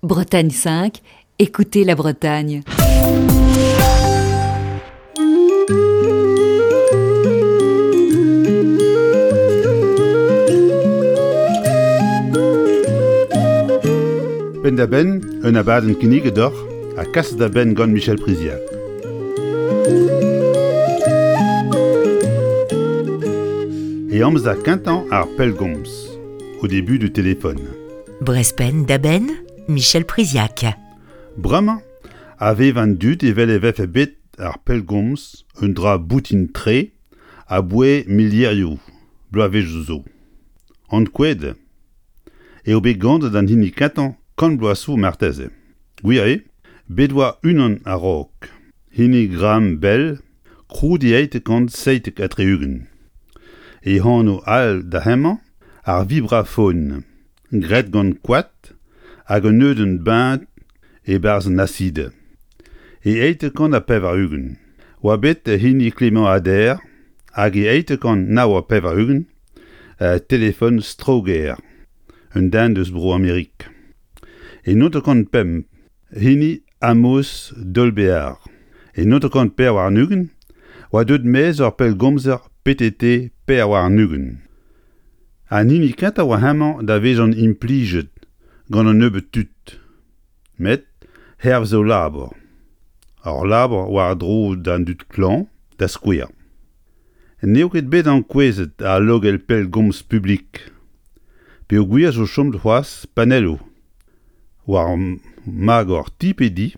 Bretagne 5, écoutez la Bretagne. Penn-da-benn, un abadenn kinniget deoc'h ha kaset da benn gant Michel Priziac. E amzer kentañ ar pellgomz, au début du téléphone. Brezpenn da benn, Michel Priziac. Bremañ a vev an dud evel e vefe bet ar pellgomz un dra boutin-tre aboae milierioù bloavezhioù zo. Ankouaet eo bet ganet an hini kentañ kant bloaz zo marteze. Gwir eo, bet oa unan a-raok, hini Graham Bell, krouet e 1877. E anv all da hemañ, ar vibrafon. graet gant koad hag un neudenn beñt e-barzh an asid. E 880 oa bet hini Clément Ader hag e 889 telefon Stroger, un den eus Bro-Amerik. E 905 hini Amos Dolbear. E 924 oa deuet maez ur pellgomzer PTT 24. An hini kentañ oa hemañ da vezañ implijet gant un nebeud tud, met hervez o labour, ur labour war-dro d'an dud klañv, da skouer. N'eo ket bet ankouezet al logell pellgomz publik peogwir zo chomet c'hoazh panelloù war magor ti pe di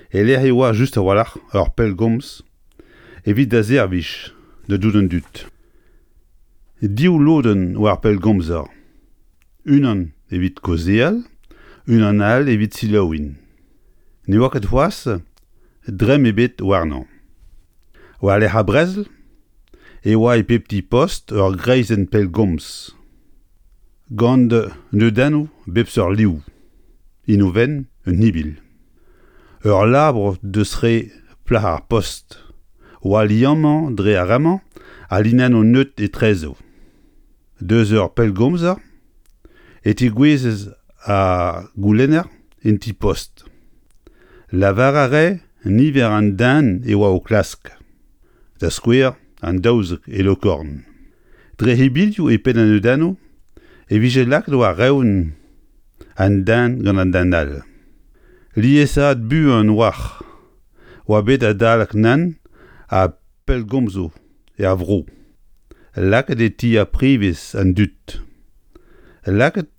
e-lec'h e oa just a-walc'h ur pellgomz evit da servij da dout an dud. Div lodenn war ar pellgomzer, unan evit kaozeal, unan all evit selaouiñ. Ne oa ket c'hoazh dremm ebet warnañ. War-lerc'h ar brezel e oa e pep ti-post ur greizenn pellgomz gant neudennoù bep seurt liv, inovenn un ibil. Ur labour deus re plac'h ar post oa liammañ dre ar re-mañ al linennoù neud etrezo. Deus ur pellgomzer e tegouezhez ar goulenner en ti-post. Lavar a rae niver an den e oa o klask, da skouer an 12 e Lokorn. Dre hebilioù e penn an neudennoù e vije lakaet war-eeun an den gant an den all. Liesaat buan 'oac'h oa bet adalek nann ha pellgomzoù er vro. Lakaet e ti ar prevez an dud. Lakaet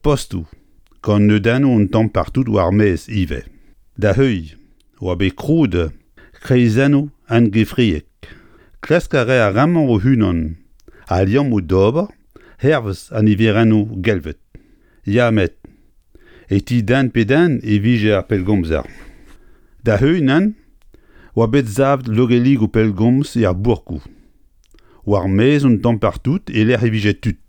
postoù gant neudennoù un tamm partout war ar maez ivez. Da heuilh oa bet krouet kreizennoù angefriek. Klask a rae ar re-mañ o-unan al liammoù d'ober hervez an niverennoù gelvet. Ya met e ti den pe den e vije ar pellgomzer. Da heul nann oa bet savet logelligoù pellgomz er bourkoù. War maez un tamm partout e-lec'h e vije tud.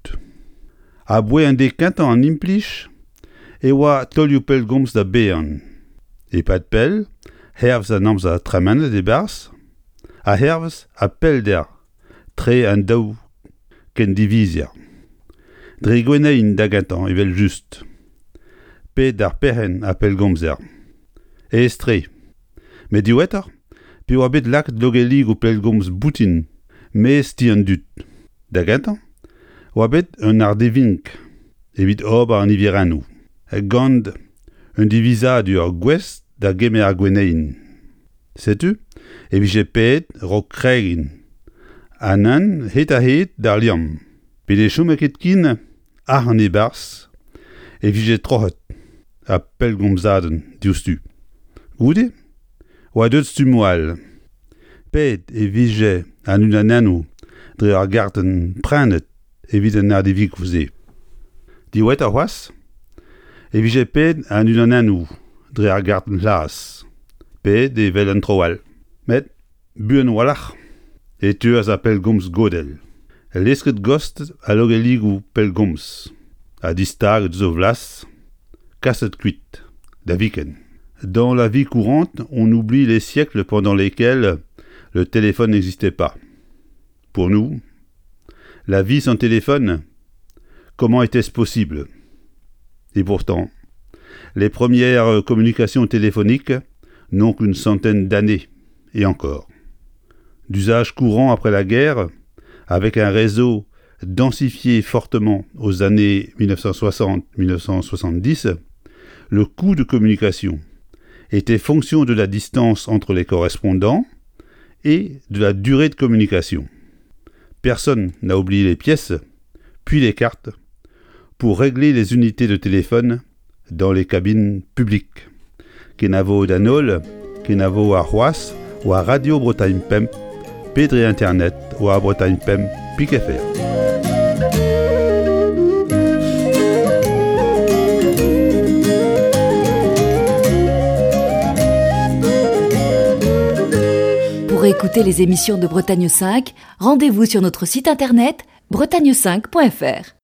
Aboae an deiz kentañ an implij e oa taolioù pellgomz da baeañ. E-pad pell, hervez an amzer tremenet e-barzh, ha hervez ar pellder tre an daou kendivizer. Dre gwennein da gentañ evel-just, pe d'ar perc'henn ar pellgomzer. Aes-tre. Met diwezhatoc'h, pe oa bet lakaet logelligoù pellgomz boutin maez ti an dud. Da gentañ oa bet un ardivink evit ober an niverennoù, gant un divizadur gouest da gemer ar gwenneien. Setu e vije paeet 'raok kregiñ ha nann hed-ha-hed d'ar liamm. Pe ne chome ket ken arc'hant e-barzh e vije troc'het ar pellgomzadenn diouzhtu. Goude oa deuet stummoù all. Paeet e vije an unanennoù dre ur gartenn prenet evit an ardivikoù-se. Diwezhatoc'h c'hoazh e vije paeet an unanennoù dre ar gartenn c'hlas, paeet evel an traoù all. Met buan a-walc'h e teuas ar pellgomz godell, lesket gost al logelligoù pellgomz ha distaget eus o flas, kaset kuit, da viken. Dans la vie courante, on oublie les siècles pendant lesquels le téléphone n'existait pas. Pour nous, la vie sans téléphone, comment était-ce possible Et pourtant, Les premières communications téléphoniques n'ont qu'une centaine d'années, et encore. D'usage courant après la guerre, avec un réseau densifié fortement aux années 1960-1970, le coût de communication était fonction de la distance entre les correspondants et de la durée de communication. Personne n'a oublié les pièces, puis les cartes, pour régler les unités de téléphone dans les cabines publiques. Kenavo d'an holl, kenavo arc'hoazh war Radio Bretagne Pemp pe dre internet war Bretagne Pemp pik fr. Pour écouter les émissions de Bretagne 5, rendez-vous sur notre site internet bretagne5.fr.